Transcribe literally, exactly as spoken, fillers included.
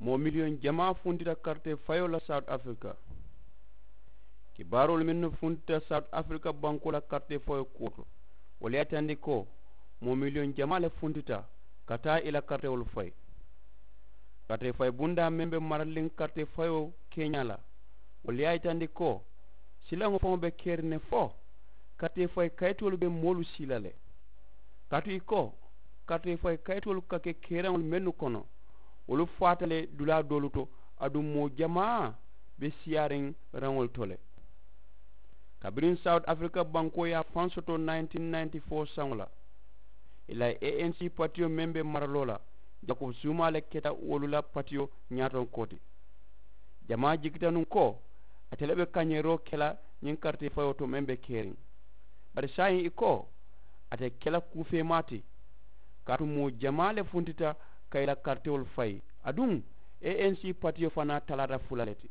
Moo miliyoŋ jamaa funtita karitee fayoo la sawuti afirika. Kibaaroolu mennu funtita sawuti afirika bankoo la karitee fayoo kuwo to, wolu ye a yitandi ko moo miliyoŋ jamaa le funtita ka taa ì la karitewolu fayi. Karitee fayi bundaa meŋ be maraliŋ karitee fayoo keeñaa la, wolu ye a yitandi ko silaŋo faŋo be keriŋ ne fo karitee fayi kayitoolu be moolu sii la le. Kaatu ì ko karitee fayi kayitoolu ka ke keeraŋolu mennu kono, wolu faata le dulaa doolu to, aduŋ moo jamaa be siyaariŋ raŋolu to le. Kabiriŋ sawuti afirika bankoo ye a faŋ soto nineteen ninety four saŋo la, ì la anc patiyo meŋ be maraloo la, jako suumaa le keta wolu la patiyo ñaatonkoo ti. Jamaa jikita nuŋ ko ate le be kañeeroo ke la ñiŋ karitee fayoo to meŋ be keriŋ. Bari saayiŋ ì ko ate ke la kuu feemaa ti. Kaatu moo jamaa le funtita ka ì la karitewolu fayi, aduŋ anc patiyo fanaa talaata fula le ti.